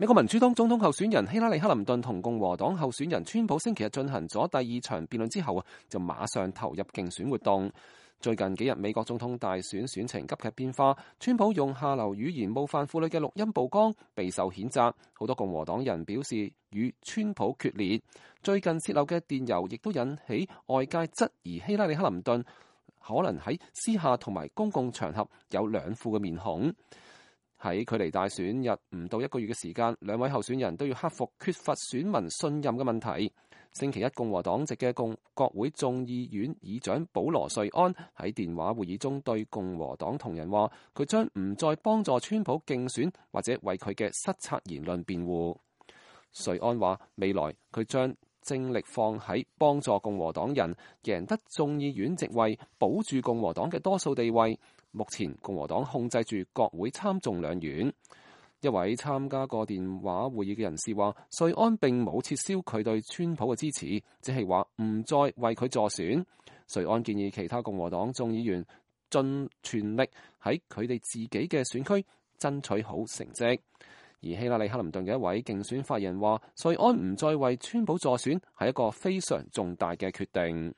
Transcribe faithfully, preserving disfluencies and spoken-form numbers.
美國民主黨總統候選人希拉里·克林頓同共和黨候選人川普星期日進行咗第二場辯論之後啊，就馬上投入競選活動。最近幾日美國總統大選選情急劇變化，川普用下流語言冒犯婦女嘅錄音曝光，備受譴責。好多共和黨人表示與川普決裂。最近洩漏嘅電郵亦都引起外界質疑希拉里·克林頓可能喺私下同埋公共場合有兩副嘅面孔。喺距離大選日唔到一個月嘅時間，兩位候選人都要克服缺乏選民信任嘅問題。星期一，共和黨籍嘅共國會眾議院議長保羅·瑞安喺電話會議中對共和黨同仁話，佢將唔再幫助川普競選或者為佢嘅失策言論辯護。瑞安話，未來佢將精力放喺幫助共和黨人贏得眾議院席位，保住共和黨嘅多數地位。目前共和黨控制住國會參眾兩院。一位參加過電話會議嘅人士話，瑞安並冇撤銷佢對川普嘅支持，只係話唔再為佢助選。瑞安建議其他共和黨眾議員盡全力喺佢哋自己嘅選區爭取好成績。而希拉里·克林頓嘅一位競選發言人話，瑞安唔再為川普助選係一個非常重大嘅決定。